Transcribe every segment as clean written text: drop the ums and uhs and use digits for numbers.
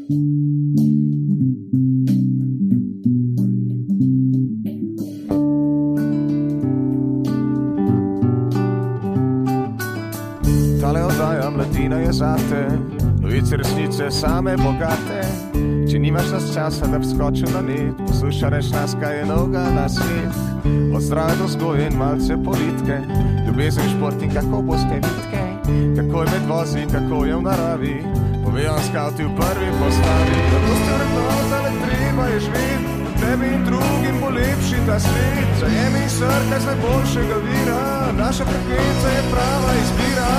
Tale oddaja Mladina je zate, novice resnice same bogate. Če nimaš nas časa, da bi skočil na net, poslušaj nas, kaj je novega na svet. Od zdrave do vzgoje in malce politike, ljubezen, šport in kako boste vitke, kako je med vozi, kako je v naravi, povejo skavti v prvi postavi. Zato ste vrednota, le treba je živeti, tebi in drugim bo lepši ta svet. Zajemi srce z najboljšega vira, naša frekvenca je prava izbira.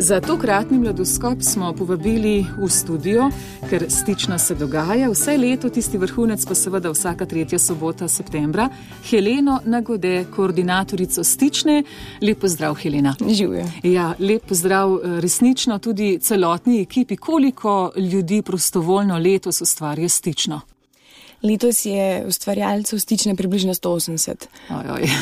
Za tokratni Mladoskop smo povabili v studio, ker Stična se dogaja vse leto, tisti vrhunec pa seveda vsaka 3. sobota septembra, Heleno Nagode, koordinatorico Stične. Lep pozdrav, Helena. Živjo. Ja, lep pozdrav resnično tudi celotni ekipi. Koliko ljudi prostovoljno letos ustvarja Stično? Letos je ustvarjalcev Stične približno 180.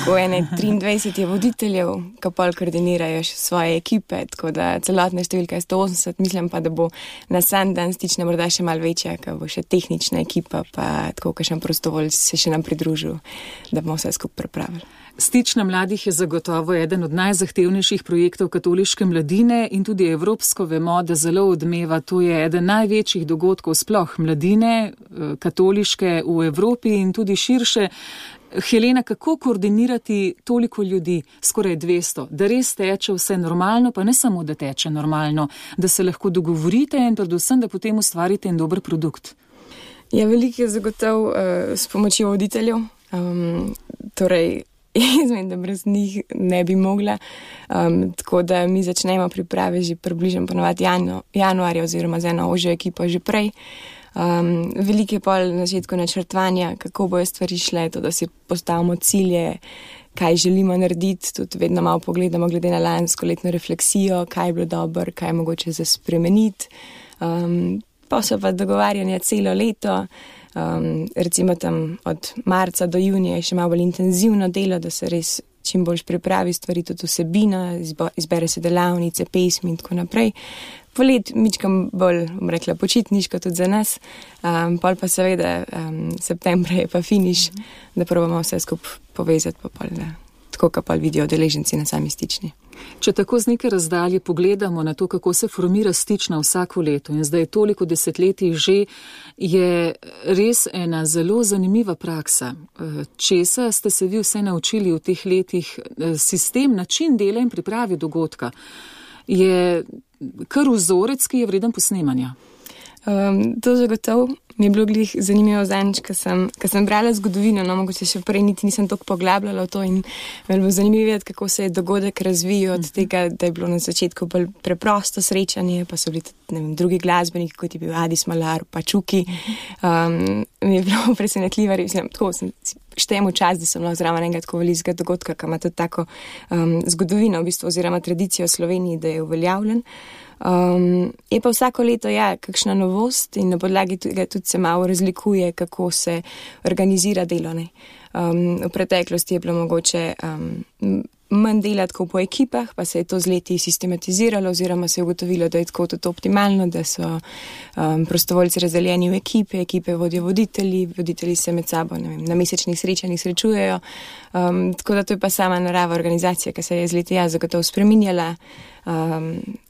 Ko ene 23 je voditeljev, ki pol koordinirajo svoje ekipe, tako da celotna številka je 180. Mislim pa, da bo na sam dan Stične morda še malo večja, ko bo še tehnična ekipa, pa tako kakšen prostovoljc se še nam pridružil, da bomo vse skupaj pripravili. Stična mladih je zagotovo eden od najzahtevnejših projektov katoliške mladine in tudi evropsko vemo, da zelo odmeva. To je eden največjih dogodkov sploh mladine, katoliške v Evropi in tudi širše. Helena, kako koordinirati toliko ljudi, skoraj 200, da res teče vse normalno, pa ne samo, da teče normalno, da se lahko dogovorite in predvsem, da potem ustvarite en dober produkt? Ja, veliko je zagotov s pomočjo voditeljev, torej izmed, da brez njih ne bi mogla. Tako da mi začnemo priprave že približno ponovadi januarja oziroma z eno ožjo ekipo že prej. Veliko je pol na začetku načrtovanja, kako bojo stvari šle, to, da si postavimo cilje, kaj želimo narediti, tudi vedno malo pogledamo glede na lansko letno refleksijo, kaj je bilo dobro, kaj je mogoče za spremeniti. Pa so pa dogovarjanja celo leto, recimo tam od marca do junija je še malo bolj intenzivno delo, da se res čim bolj pripravi stvari, tudi vsebina, izbere se delavnice, pesmi in tako naprej. Polet mičkam bolj, rekla, počitniško tudi za nas, pol pa seveda septembra je pa finiš, da probamo vse skupaj povezati, pa pol, da tako, ka pol vidijo udeleženci na sami Stični. Če tako z neke razdalje pogledamo na to, kako se formira Stična vsako leto in zdaj toliko desetletij že, je res ena zelo zanimiva praksa. Česa ste se vi vse naučili v teh letih? Sistem, način dela in pripravi dogodka je kar vzorec, ki je vreden posnemanja. To zagotovo mi je bilo glih zanimivo zanjič, ko sem brala zgodovino, no mogoče še prej niti nisem toliko poglabljala v to in me bilo zanimivo videti, kako se je dogodek razvijal od tega, da je bilo na začetku bolj preprosto srečanje, pa so bili tudi, drugi glasbeniki, kot je bil Adis Malar, pa Čuki. Mi je bilo presenetljivo, tako sem štejem v čas, da sem lahko zraven enega tako velikega dogodka, ki ima tudi tako zgodovino v bistvu, oziroma tradicijo v Sloveniji, da je uveljavljen. Je pa vsako leto, ja, kakšna novost in na podlagi tega tudi se malo razlikuje, kako se organizira delo, ne. V preteklosti je bilo mogoče manj delati kot po ekipah, pa se je to z leti sistematiziralo oziroma se je ugotovilo, da je tako tudi optimalno, da so prostovoljci razdeljeni v ekipe vodijo voditelji se med sabo, ne vem, na mesečnih srečanjih srečujejo, tako da to je pa sama narava organizacije, ki se je z leti zagotovo spreminjala.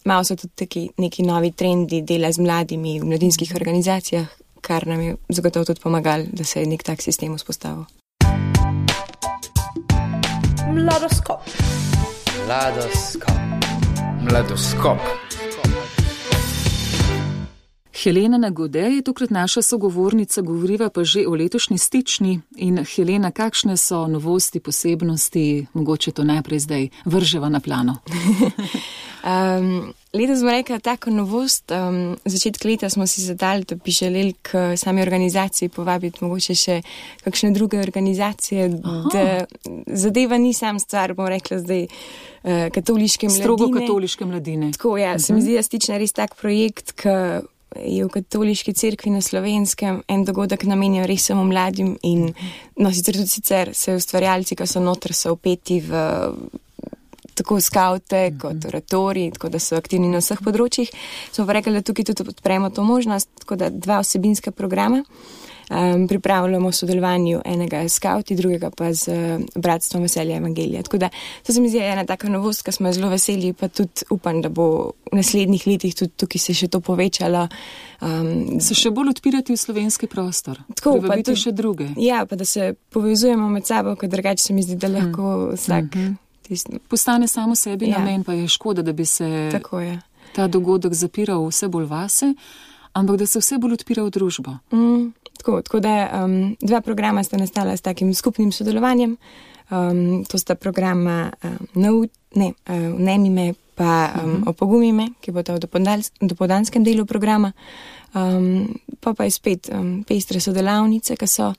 Malo so tudi neki novi trendi dela z mladimi v mladinskih organizacijah, kar nam je zagotovo tudi pomagalo, da se je nek tak sistem vzpostavil. Mladoskop. Helena Nagode je tokrat naša sogovornica, govoriva pa že o letošnji Stični. In Helena, kakšne so novosti, posebnosti, mogoče to najprej zdaj vrževa na plano? Letos smo rekli tako novost. Začetek leta smo si zadali, da bi želeli k sami organizaciji povabiti mogoče še kakšne druge organizacije, da zadeva ni sam stvar, bom rekla zdaj, katoliške mladine. Strogo katoliške mladine. Tako, ja, se mi zdi, da stične res tak projekt, ki je v katoliški cerkvi na Slovenskem en dogodek namenjen res samo mladim in sicer se ustvarjalci, ki so noter, so vpeti v tako skavte kot oratori, tako da so aktivni na vseh področjih. Smo pa rekli, da tukaj tudi odpremo to možnost, tako da 2 vsebinska programa. Pripravljamo v sodelovanju enega skavti, drugega pa z Bratstvom veselja evangelija. Tako da to se mi zdi ena taka novost, ki smo zelo veseli, pa tudi upam, da bo v naslednjih letih tudi tukaj se še to povečalo. Se še bolj odpirati v slovenski prostor, privabiti še druge. Ja, pa da se povezujemo med sabo, ker drugače se mi zdi, da lahko vsak postane samo sebi namen, pa je škoda, da bi se ta dogodek zapiral vse bolj vase, ampak da se vse bolj odpira v družbo. Tako da 2 programa sta nastala s takim skupnim sodelovanjem. To sta programa Vnemime pa Opogumime, ki bo to v dopoldanskem delu programa. Pa je spet pestre sodelavnice, ki so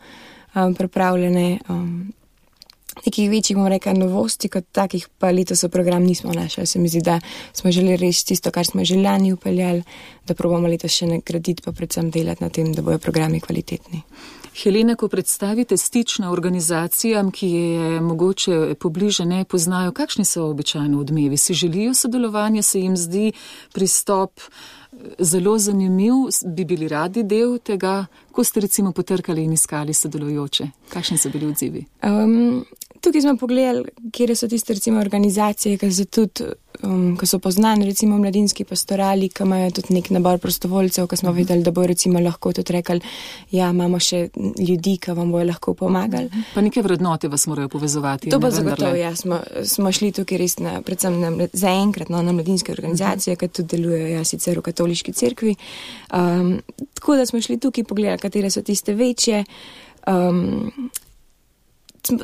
pripravljene. Nekih večjih, bom rekla, novosti kot takih, pa letos v program nismo našli. Se mi zdi, da smo želeli reči tisto, kar smo že lani upeljali, da probamo letos še nagraditi, pa predvsem delati na tem, da bojo programi kvalitetni. Helena, ko predstavite stično organizacijam, ki je mogoče pobliže ne poznajo, kakšni so običajno odmevi? Si želijo sodelovanja, se jim zdi pristop zelo zanimiv, bi bili radi del tega, ko ste recimo potrkali in iskali sodelujoče? Kakšni so bili odzivi? Tukaj smo pogledali, kje so tiste recimo organizacije, ki so poznane, recimo mladinski pastorali, ki imajo tudi nek nabor prostovoljcev, ki smo videli, da bo recimo lahko tudi rekli, ja, imamo še ljudi, ki vam bojo lahko pomagali. Pa neke vrednote vas morajo povezovati. To pa zagotovo, ja, smo šli tukaj res predvsem zaenkrat na mladinske organizacije, ki tudi delujejo sicer v katoliški cerkvi. Tako da smo šli tukaj pogledati, katere so tiste večje.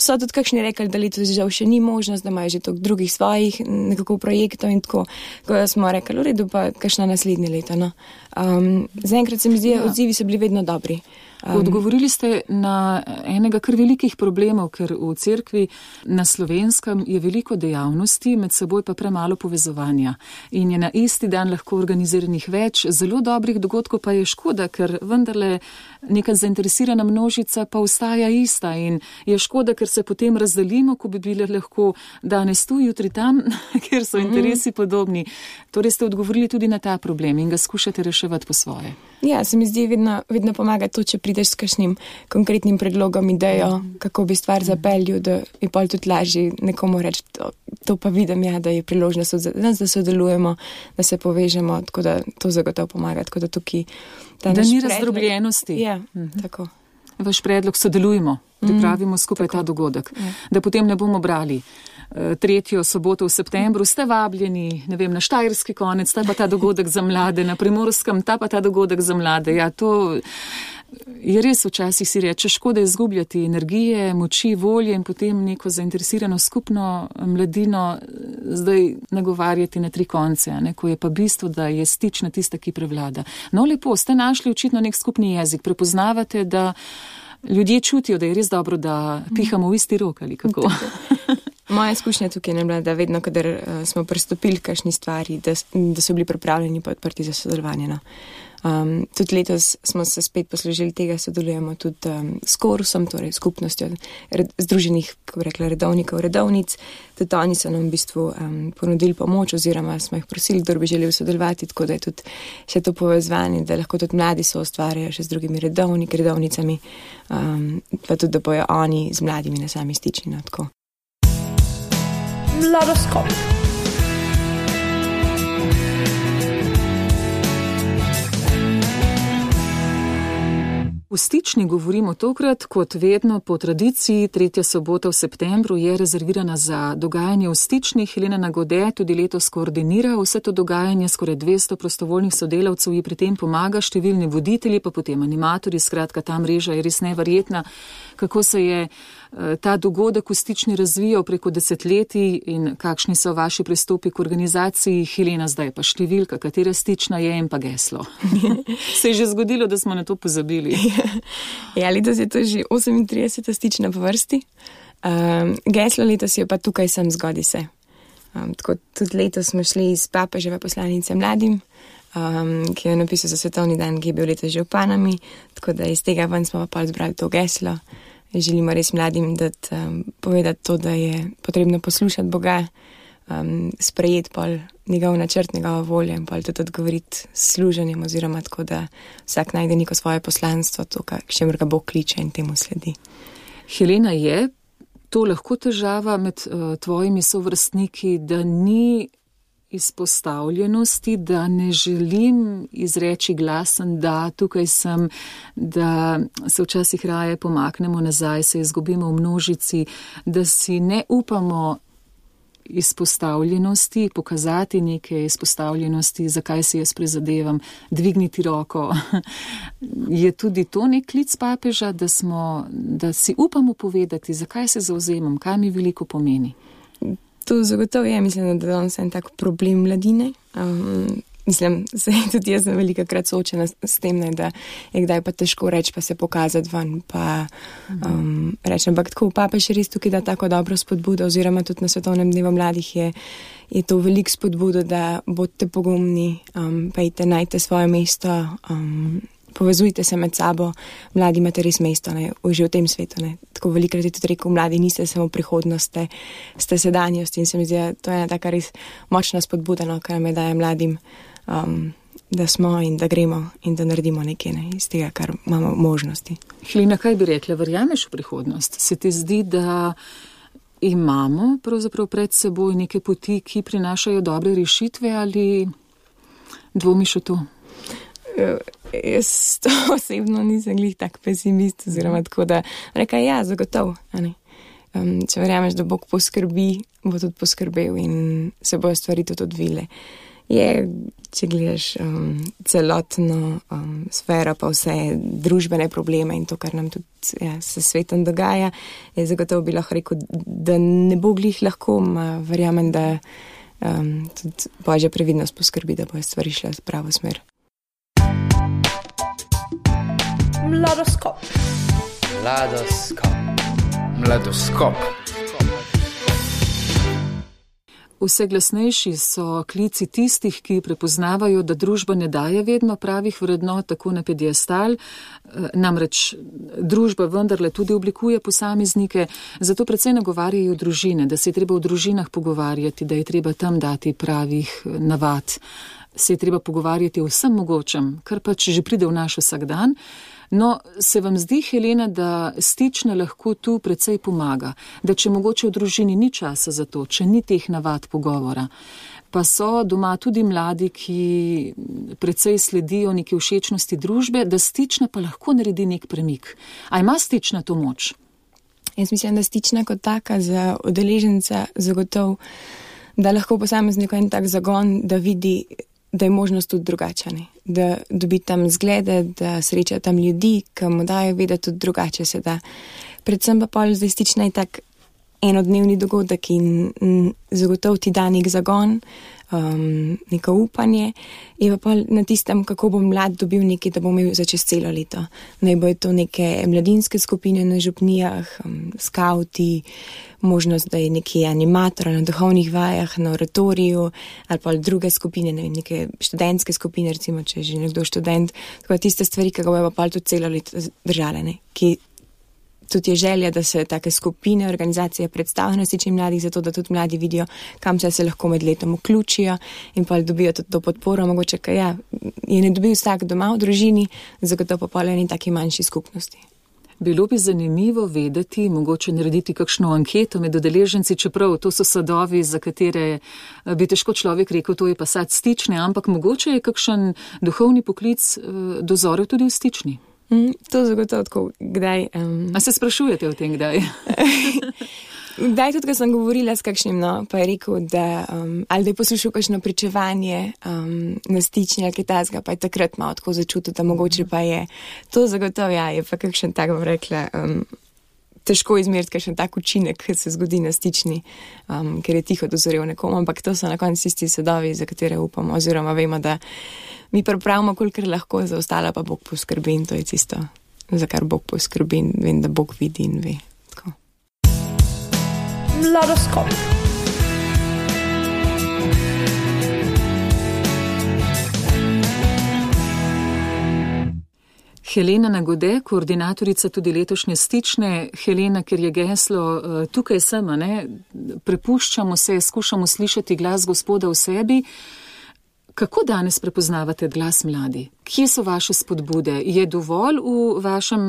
So tudi kakšni rekli, da letos žal še ni možnost, da imajo že toliko drugih svojih nekako projektov in tako. Tako da smo rekli, v redu, pa kakšna naslednje leto. No. Zaenkrat se mi zdi, odzivi so bili vedno dobri. Odgovorili ste na enega kar velikih problemov, ker v cerkvi na Slovenskem je veliko dejavnosti, med seboj pa premalo povezovanja. In je na isti dan lahko organiziranih več zelo dobrih dogodkov, pa je škoda, ker vendarle neka zainteresirana množica pa ostaja ista in je škoda, ker se potem razdelimo, ko bi bile lahko danes tu, jutri tam, ker so interesi podobni. Torej ste odgovorili tudi na ta problem in ga skušate reševati po svoje. Ja, se mi zdi vedno pomaga to, če prideš s kakšnim konkretnim predlogom, idejo, kako bi stvar zapeljal, da je pol tudi lažje nekomu reči, to pa vidim, ja, da je priložnost za nas, da sodelujemo, da se povežemo, tako da to zagotovo pomaga. Tako da tukaj da ni razdrobljenosti. Ja, tako. Vaš predlog sodelujemo, pripravimo skupaj ta dogodek, da potem ne bomo brali 3. soboto v septembru, ste vabljeni, ne vem, na Štajerski konec, ta pa ta dogodek za mlade, na Primorskem, ta pa ta dogodek za mlade. Ja, to je res včasih si reče, škoda izgubljati energije, moči, volje in potem neko zainteresirano skupno mladino zdaj nagovarjati na 3 konce, ne, ko je pa bistvo, da je stična tista, ki prevlada. No, lepo, ste našli očitno nek skupni jezik, prepoznavate, da ljudje čutijo, da je res dobro, da pihamo v isti rok ali kako. Moja izkušnja tukaj je bila, da vedno, kadar smo pristopili k kakšni stvari, da so bili pripravljeni pa odprti za sodelovanje. No. Tudi letos smo se spet poslužili tega, sodelujemo tudi s Korusom, torej skupnostjo združenih, kako bi rekla, redovnikov, redovnic. Tudi oni so nam v bistvu ponudili pomoč oziroma smo jih prosili, kdo bi želel sodelovati, tako da je tudi še to povezovanje, da lahko tudi mladi so ustvarjajo še z drugimi redovnicami, pa tudi, da bojo oni z mladimi na sami stični. No, tako. Mladoskop. V O Stični govorimo tokrat, kot vedno po tradiciji, 3. sobota v septembru je rezervirana za dogajanje v Stični. Helena Nagode tudi letos koordinira vse to dogajanje, skoraj 200 prostovoljnih sodelavcev ji pri tem pomaga, številni voditelji, pa potem animatorji, skratka ta mreža je res neverjetna. Kako se je ta dogodek v Stični razvijal preko desetletij in kakšni so vaši pristopi k organizaciji? Helena, zdaj pa številka, katera Stična je in pa geslo. Se je že zgodilo, da smo na to pozabili. Ja, letos je to že 38. Stična po vrsti. Geslo letos je pa tukaj sem zgodi se. Tako tudi letos smo šli iz papeževe poslanice mladim, ki je napisal za svetovni dan, ki je bil letos že v Panami, tako da iz tega ven smo pa zbrali to geslo. Želimo res mladim povedati to, da je potrebno poslušati Boga, sprejeti pol njegov načrt, njegova volja in pol tudi odgovoriti s služenjem oziroma tako, da vsak najde neko svoje poslanstvo, to, k čemur ga Bog kliče in temu sledi. Helena, je to lahko težava med tvojimi sovrstniki, da ni izpostavljenosti, da ne želim izreči glasen, da tukaj sem, da se včasih raje pomaknemo nazaj, se izgubimo v množici, da si ne upamo izpostavljenosti, pokazati neke izpostavljenosti, zakaj si jaz prizadevam, dvigniti roko. Je tudi to nek klic papeža, da si upamo povedati, zakaj se zavzemam, kaj mi veliko pomeni? To zagotovo je, mislim, da danes je en tak problem mladine. Mislim, tudi jaz sem velikokrat soočena s tem, da je kdaj pa težko reči, pa se pokazati ven, pa reči, ampak tako papež res tukaj da tako dobro spodbudo, oziroma tudi na Svetovnem dnevu mladih je to veliko spodbudo, da bodite pogumni, pejte, najte svoje mesto, povezujte se med sabo, mladi imate res mesto, ne, že v tem svetu. Ne. Tako velikrat je tudi rekel, mladi niste samo prihodnost, ste sedanjost in se mi zdi, da to je ena taka res močna spodbuda, no, kar me daje mladim, da smo in da gremo in da naredimo nekaj iz tega, kar imamo možnosti. Helena, kaj bi rekla, verjameš v prihodnost? Se ti zdi, da imamo pravzaprav pred seboj neke poti, ki prinašajo dobre rešitve ali dvomiš v to? Jaz to osebno nisem glih tak pesimist, oziroma tako da rekaj, ja, zagotovo. Če verjameš, da Bog poskrbi, bo tudi poskrbel in se bojo stvari tudi odvile. Je, če gledaš celotno sfero, pa vse družbene probleme in to, kar nam tudi se svetom dogaja, je zagotovo bi lahko rekel, da ne bo glih lahko, verjamem, da tudi Božja previdnost poskrbi, da bojo stvari šle v pravo smer. Mladoskop. Vse glasnejši so klici tistih, ki prepoznavajo, da družba ne daje vedno pravih vrednot, tako na pediestal, namreč družba vendarle tudi oblikuje posameznike, zato predvsej nagovarjajo družine, da se je treba v družinah pogovarjati, da je treba tam dati pravih navad, se je treba pogovarjati o vsem mogočem, kar pač že pride v naš vsakdan. No, se vam zdi, Helena, da Stična lahko tu precej pomaga, da če mogoče v družini ni časa za to, če ni teh navad pogovora, pa so doma tudi mladi, ki precej sledijo neki všečnosti družbe, da Stična pa lahko naredi nek premik. A ima Stična to moč? Jaz mislim, da Stična kot taka za udeleženca zagotov, da lahko posameznik en tak zagon, da vidi, da je možnost tudi drugačna, da dobi tam zglede, da sreča tam ljudi, ki mu dajo vedeti tudi drugače se da. Predvsem pa pol zdaj Stična je tak enodnevni dogodek in zagotov ti da nek zagon, neko upanje, je pa pol na tistem, kako bo mlad dobil nekaj, da bo imel za čez celo leto. Naj bojo to neke mladinske skupine na župnijah, skauti, možnost, da je neki animator na duhovnih vajah, na oratoriju, ali pa druge skupine, ne vem, neke študentske skupine, recimo, če je že nekdo študent, tako tiste stvari, ki ga bojo pa tudi celo leto držale, ne, ki tudi je želja, da se take skupine, organizacije predstavijo na Stični mladih, zato da tudi mladi vidijo, kam se lahko med letom vključijo in pa dobijo tudi to podporo, mogoče, kaj je ne dobil vsak doma v družini, zagotovo pa eni taki manjši skupnosti. Bilo bi zanimivo vedeti, mogoče narediti kakšno anketo med udeleženci, čeprav to so sadovi, za katere bi težko človek rekel, to je pa sad Stične, ampak mogoče je kakšen duhovni poklic dozorel tudi v Stični. To zagotovo tako, kdaj. A se sprašujete o tem, kdaj? Kdaj tudi, ko sem govorila s kakšnim, pa je rekel, da ali da je poslušal kakšno pričevanje na stični ali kaj takega, pa je takrat malo tako začutil, da mogoče pa je. To zagotovo, je pa kakšen tak, bom rekla, težko izmeriti kakšen tak učinek, ki se zgodi na stični, ker je tiho dozorel nekomu, ampak to so na koncu tisti sadovi, za katere upamo, oziroma vemo, da mi pripravimo, kolikor lahko, za ostalo pa Bog poskrbi in to je tisto, za kar Bog poskrbi in vem, da Bog vidi in ve. Tako. Mladoskop. Helena Nagode, koordinatorica tudi letošnje stične. Helena, ker je geslo tukaj sem, prepuščamo se, skušamo slišati glas Gospoda v sebi. Kako danes prepoznavate glas mladi? Kje so vaše spodbude? Je dovolj v vašem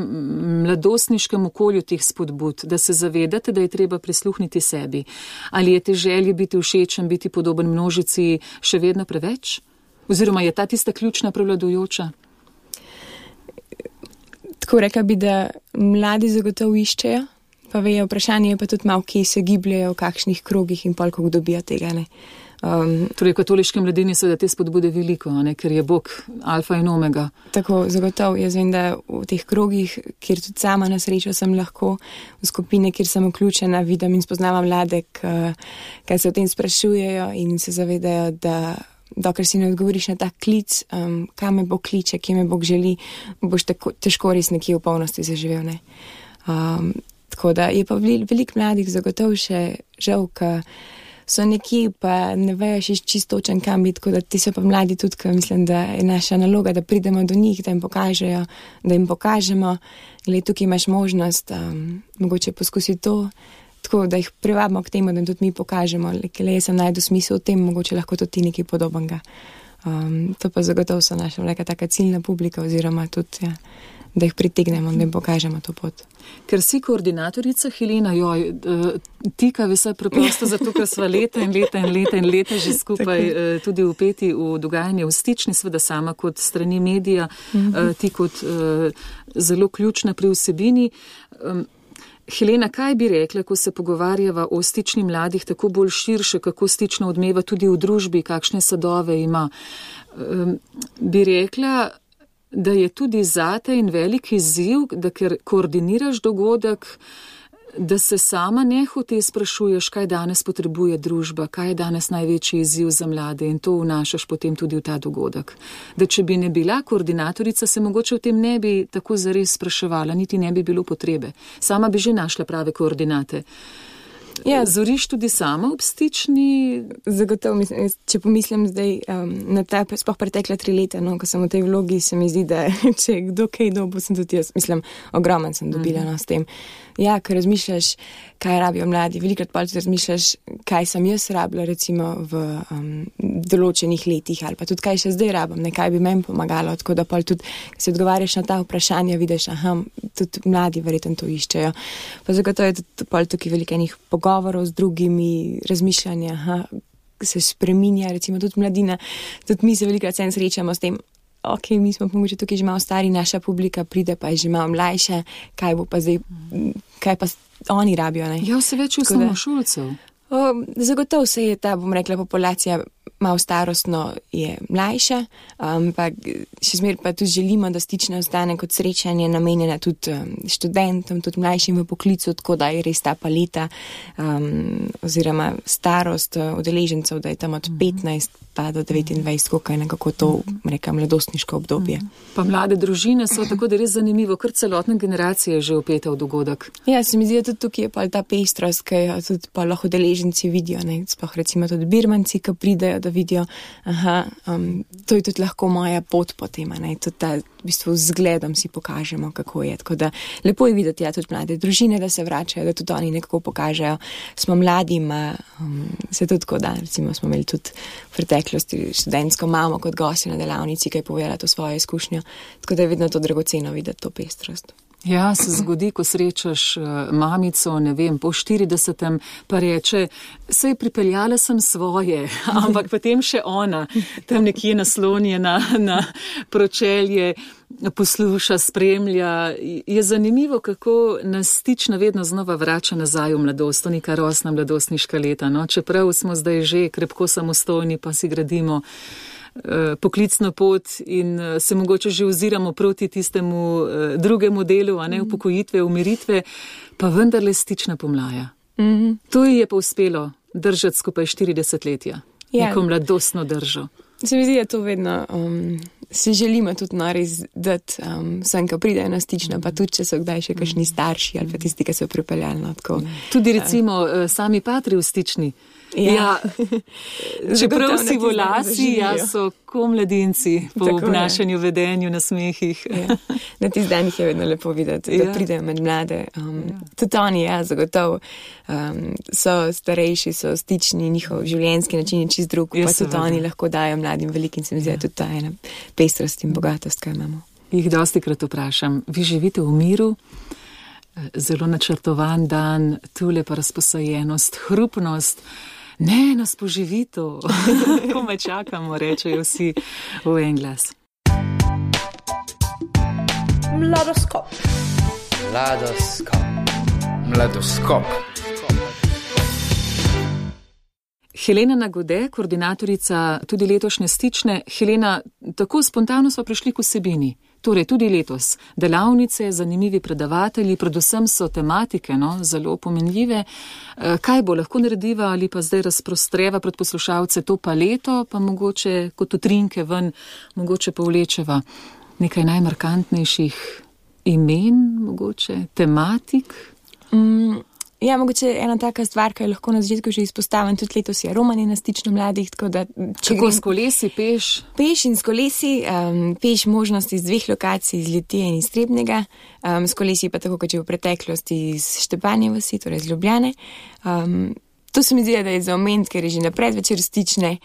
mladostniškem okolju teh spodbud, da se zavedate, da je treba prisluhniti sebi? Ali je te želje biti všečen, biti podoben množici še vedno preveč? Oziroma je ta tista ključna prevladujoča? Tako rekla bi, da mladi zagotovo iščejo, pa vejo, vprašanje je pa tudi malo, kje se gibljajo, v kakšnih krogih in pol, kako dobijo tega, Torej, v katoliški mladini so da te spodbude veliko, ker je Bog alfa in omega. Tako, zagotovo. Jaz vem, da v teh krogih, kjer tudi sama na srečo sem lahko, v skupine, kjer sem vključena, vidim in spoznavam mlade, kaj se o tem sprašujejo in se zavedajo, da dokler si ne odgovoriš na ta klic, kam me Bog kliče, kje me Bog želi, boš težko res nekje v polnosti zaživel. Ne? Tako da je pa veliko mladih zagotovo še žal, so nekje, pa ne vejo še čisto točen kam biti, tako da ti so pa mladi tudi, ker mislim, da je naša naloga, da pridemo do njih, da jim pokažejo, da jim pokažemo, gled, tukaj imaš možnost, mogoče poskusiti to, tako da jih privabimo k temu, da jim tudi mi pokažemo, le jaz sem najdu smisel v tem, mogoče lahko tudi ti nekaj podobnega. To pa zagotovo so naša neka taka ciljna publika, oziroma tudi, da jih pritegnemo, da jim pokažemo to pot. Ker si koordinatorica, Helena, tika vse preprosto, zato ker sva leta že skupaj tudi vpeti v dogajanje v stični, seveda sama kot strani medija, ti kot zelo ključna pri vsebini. Helena, kaj bi rekla, ko se pogovarjava o stični mladih, tako bolj širše, kako stično odmeva tudi v družbi, kakšne sadove ima? Bi rekla, da je tudi zate in velik izziv, da ker koordiniraš dogodek, da se sama nehote sprašuješ, kaj danes potrebuje družba, kaj je danes največji izziv za mlade in to vnašaš potem tudi v ta dogodek. Da če bi ne bila koordinatorica, se mogoče v tem ne bi tako zares spraševala, niti ne bi bilo potrebe. Sama bi že našla prave koordinate. Ja, zoriš tudi sama ob stični? Zagotovo, če pomislim zdaj na ta sploh pretekla 3 leta, ko sem v tej vlogi, se mi zdi, da če kdo kaj dobo, sem tudi jaz, ogromen sem dobila s tem. Ja, ker razmišljaš, kaj rabijo mladi, velikrat pa tudi razmišljaš, kaj sem jaz rabila recimo v določenih letih ali pa tudi kaj še zdaj rabim, kaj bi meni pomagalo, tako da pa tudi, ko se odgovarjaš na ta vprašanja, vidiš, tudi mladi verjetno to iščejo. Pa zagotovo je tudi pa tukaj veliko enih pogovorov z drugimi, razmišljanja, se spreminja, recimo tudi mladina, tudi mi se velikrat srečamo s tem, mi smo pomoči tukaj že malo stari, naša publika pride pa je že malo mlajša, kaj bo pa zdaj, kaj pa oni rabijo, ne? Ja, vse več osnovnošolcev. Zagotovo se je ta, bom rekla, populacija malo starostno je mlajša, ampak še zmeraj pa tudi želimo, da stična ostane kot srečanje namenjena tudi študentom, tudi mlajšim v poklicu, tako da je res ta paleta oziroma starost udeležencev, da je tam od 15 pa do 29, koliko je nekako to, rekam, mladostniško obdobje. Pa mlade družine so tako, da res zanimivo, kar celotna generacija je že vpeta v dogodek. Ja, se mi zdi, da tudi tukaj je pa ta pestrost, ki jo tudi pa lahko udeleženci vidijo, sploh recimo tudi birmanci, ki pridejo, da vidijo, to je tudi lahko moja pot potem, tudi ta v bistvu zgledom si pokažemo, kako je. Tako da lepo je videti, tudi mlade družine, da se vračajo, da tudi oni nekako pokažejo. Smo mladi, se tudi tako da, recimo smo imeli tudi v preteklosti študentsko mamo kot gostjo na delavnici, ki je povedala to svojo izkušnjo. Tako da je vedno to dragoceno videti, to pestrost. Ja, se zgodi, ko srečaš mamico, ne vem, po 40. pa reče, sej pripeljala sem svoje, ampak potem še ona, tam nekje naslonjena na pročelje, posluša, spremlja. Je zanimivo, kako nas stična vedno znova vrača nazaj v mladost, to neka rosna mladostniška leta, no? Čeprav smo zdaj že krepko samostojni, pa si gradimo poklicno pot in se mogoče že oziramo proti tistemu drugemu delu, a ne upokojitve, umiritve, pa vendarle stična pomlaja. To ji je pa uspelo držati skupaj 40 letja, neko mladostno držo. Se mi zdi, da to vedno si želimo tudi res dati vsem, ko pridejo na stično, pa tudi, če so kdaj še kakšni starši ali pa tisti, ki so pripeljali. Tudi recimo sami patri v stični. Ja, čeprav si volasi, so ko mladinci po obnašanju, vedenju, na smehih. Ja. Na tistih danih je vedno lepo videti, da pridejo med mlade. Tudi oni, zagotovo, so starejši, so stični, njihov življenjski način je čist drug, pa tudi oni lahko dajo mladim velikim, se mi zdi, tudi ta ena pestrost in bogatost, kaj imamo. Jih dostikrat vprašam, vi živite v miru? Zelo načrtovan dan, tule pa razposajenost, hrupnost. Ne, nas poživi to. Ko me čakamo, rečejo vsi v en glas. Mladoskop. Helena Nagode, koordinatorica tudi letošnje stične. Helena, tako spontano smo prišli k vsebini. Torej, tudi letos delavnice, zanimivi predavatelji, predvsem so tematike, zelo pomenljive. Kaj bo lahko narediva ali pa zdaj razprostreva pred poslušalce to paleto, pa mogoče kot utrinke ven, mogoče povlečeva nekaj najmarkantnejših imen, mogoče tematik? Ja, mogoče ena taka stvar, ki je lahko na začetku že izpostavim, tudi letos je romanje na stično mladih, tako da... Kako s kolesi, peš? Peš in s kolesi, peš možnosti iz 2 lokacij, iz Litije in iz Trebnjega, s kolesi pa tako, kot je v preteklosti iz Štepanje vasi, torej iz Ljubljane. To se mi zdi, da je za omeniti, ker je že na predvečer stične.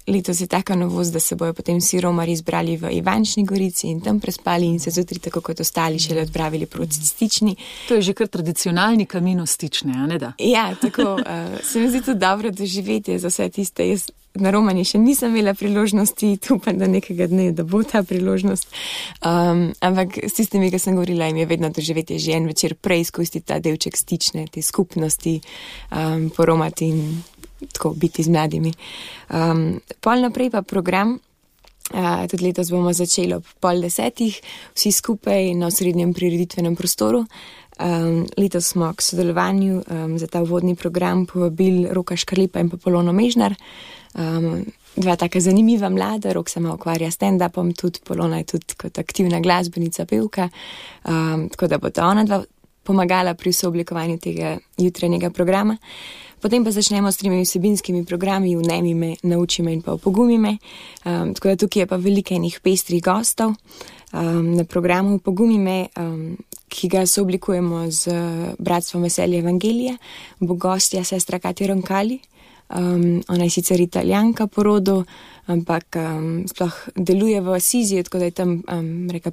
Letos je taka novost, da se bojo potem vsi romarji zbrali v Ivančni Gorici in tam prespali in se zjutraj, tako kot ostali, šele odpravili proti stični. To je že kar tradicionalni kamino stične, a ne da? Ja, tako. Se mi zdi to dobro doživetje za vse tiste. Jaz na romanji še nisem imela priložnosti, upam, da nekega dne, da bo ta priložnost. Ampak s tistimi, ki sem govorila, jim je vedno doživetje že en večer prej izkoristiti ta delček stične, te skupnosti, poromati in tako biti z mladimi. Pol naprej pa program, tudi letos bomo začeli ob 9:30, vsi skupaj na osrednjem prireditvenem prostoru. Letos smo k sodelovanju za ta uvodni program povabili Roka Škarlipa in pa Polono Mežnar. 2 taka zanimiva mlada, Rok se ima ukvarja stand-upom, tudi Polona je tudi kot aktivna glasbenica, pevka, tako da bo ta ona 2 pomagala pri sooblikovanju tega jutranjega programa. Potem pa začnemo s 3 vsebinskimi programi, Vnemi me, Nauči me in pa Opogumi me. Tako da tukaj je pa veliko enih pestrih gostov. Na programu Opogumi me, ki ga sooblikujemo z Bratstvom veselja Evangelija, bo gostja sestra Katja Roncalli. Ona je sicer Italijanka po rodu, ampak sploh deluje v Asiziji, tako da je tam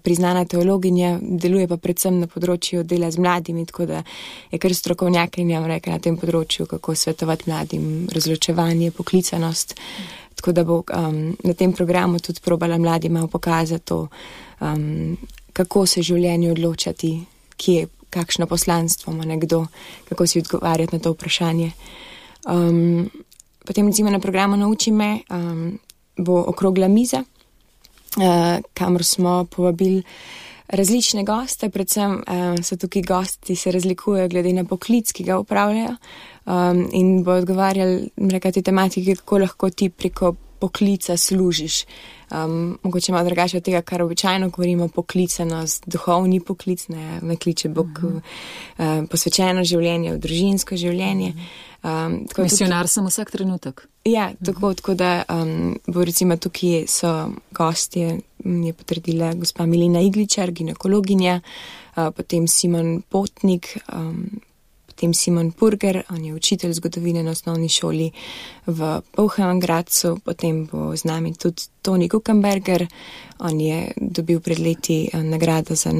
priznana teologinja, deluje pa predvsem na področju dela z mladimi, tako da je kar strokovnjakinja na tem področju, kako svetovati mladim, razločevanje, poklicanost. Tako da bo na tem programu tudi probala mladim malo pokazati to, kako se življenju odločati, kje, kakšno poslanstvo ima nekdo, kako si odgovarjati na to vprašanje. Potem recimo na programu Nauči me bo okrogla miza, kamor smo povabili različne goste, predvsem so tukaj gosti, se razlikujejo glede na poklic, ki ga upravljajo, in bo odgovarjali te tematike, kako lahko ti preko poklica služiš. Mogoče malo drugače od tega, kar običajno govorimo, poklicanost, duhovni poklic, ne kliče Bog posvečeno življenje, v družinsko življenje. Misionar sem vsak trenutek. Ja, tako da bo recimo tukaj so gostje, je potrdila gospa Milena Igličar, ginekologinja, potem Simon Potnik, potem Simon Purger, on je učitelj zgodovine na osnovni šoli v Polhemgradcu, potem bo z nami tudi Toni Kuchenberger, on je dobil pred leti nagrado za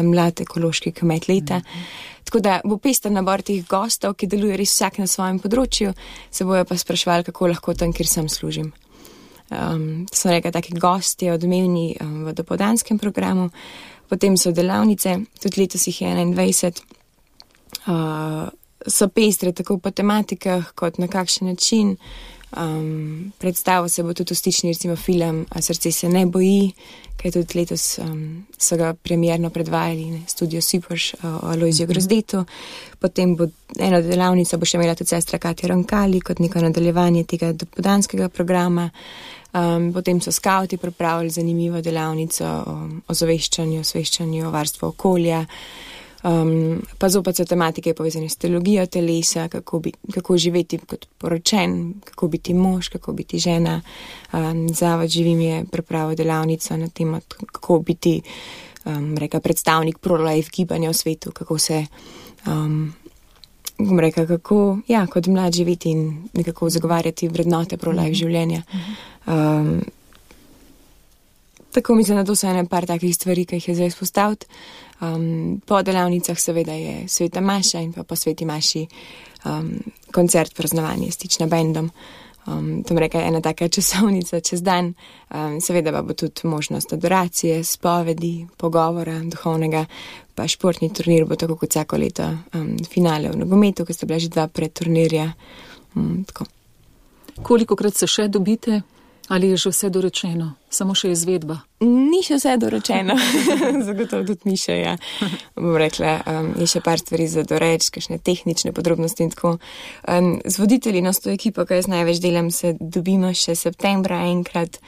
mlad ekološki kmet leta. Tako da bo pester nabor teh gostov, ki deluje res vsak na svojem področju, se bojo pa sprašvali, kako lahko tam, kjer sem služim. So nekaj taki gosti odmevni v dopoldanskem programu, potem so delavnice, tudi letos jih je 21, so pestre tako po tematikah, kot na kakšen način. Predstavo se bo tudi ustični, recimo film Srce se ne boji, kaj tudi letos so ga premierno predvajali, Studio Superš o Alojziju Grozdetu. Potem bo ena delavnica, bo še imela tudi sestra Katja Ronkali, kot neko nadaljevanje tega dopoldanskega programa. Potem so skauti pripravili zanimivo delavnico o osveščanju, o varstvu okolja. Pa zopet so tematike povezane s teologijo telesa, kako živeti kot poročen, kako biti mož, kako biti žena. Zavod Živim je pripravil delavnico na temo, kako biti predstavnik pro-life gibanja v svetu, kako se kot mlad živeti in nekako zagovarjati vrednote pro-life življenja. Tako mislim, da to so ene par takih stvari, ki jih je zdaj izpostaviti. Po delavnicah seveda je Sveta Maša in pa po Sveti Maši koncert praznovanje s Tična bendom. To je ena taka časovnica čez dan. Seveda pa bo tudi možnost adoracije, spovedi, pogovora duhovnega, pa športni turnir bo tako kot vsako leto finale v nogometu, ki sta bila že 2 predturnirja. Tako. Kolikokrat se še dobite? Ali je že vse dorečeno? Samo še izvedba? Ni še vse dorečeno. Zagotovo tudi mi še, ja. Bom rekla, je še par stvari za doreč, kakšne tehnične podrobnosti in tako. Z voditelji na to ekipo, ki jaz največ delam, se dobimo še septembra enkrat,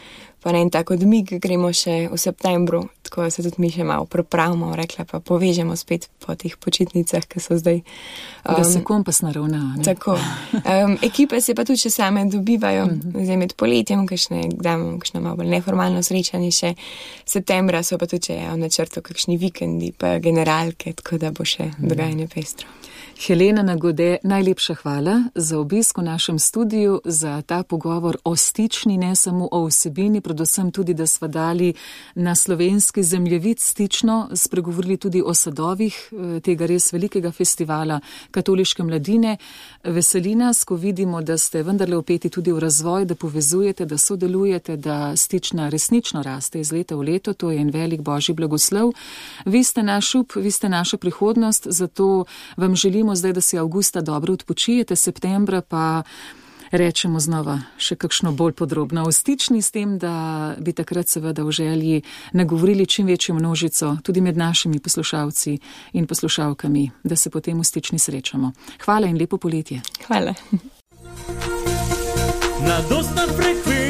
pa na en tak odmik gremo še v septembru, tako se tudi mi še malo pripravimo, rekla pa povežemo spet po teh počitnicah, ki so zdaj. Da se kompas naravna, ne? Tako. Ekipe se pa tudi še same dobivajo, zdaj med poletjem, kakšno malo bolj neformalno srečanje še. Septembra so pa tudi v načrtu kakšni vikendi, pa generalke, tako da bo še dogajanje pestro. Helena Nagode, najlepša hvala za obisk v našem studiu, za ta pogovor o Stični, ne samo o vsebini, predvsem tudi, da sva dali na slovenski zemljevid Stično, spregovorili tudi o sadovih tega res velikega festivala katoliške mladine. Veseli nas, ko vidimo, da ste vendarle vpeti tudi v razvoj, da povezujete, da sodelujete, da Stična resnično raste iz leta v leto, to je en velik božji blagoslov. Vi ste naš up, vi ste naša prihodnost, zato vam želimo zdaj, da si avgusta dobro odpočijete, septembra pa rečemo znova še kakšno bolj podrobno o Stični, s tem, da bi takrat seveda v želji nagovorili čim večjo množico, tudi med našimi poslušalci in poslušalkami, da se potem v Stični srečamo. Hvala in lepo poletje. Hvala. Na dostan frekvenci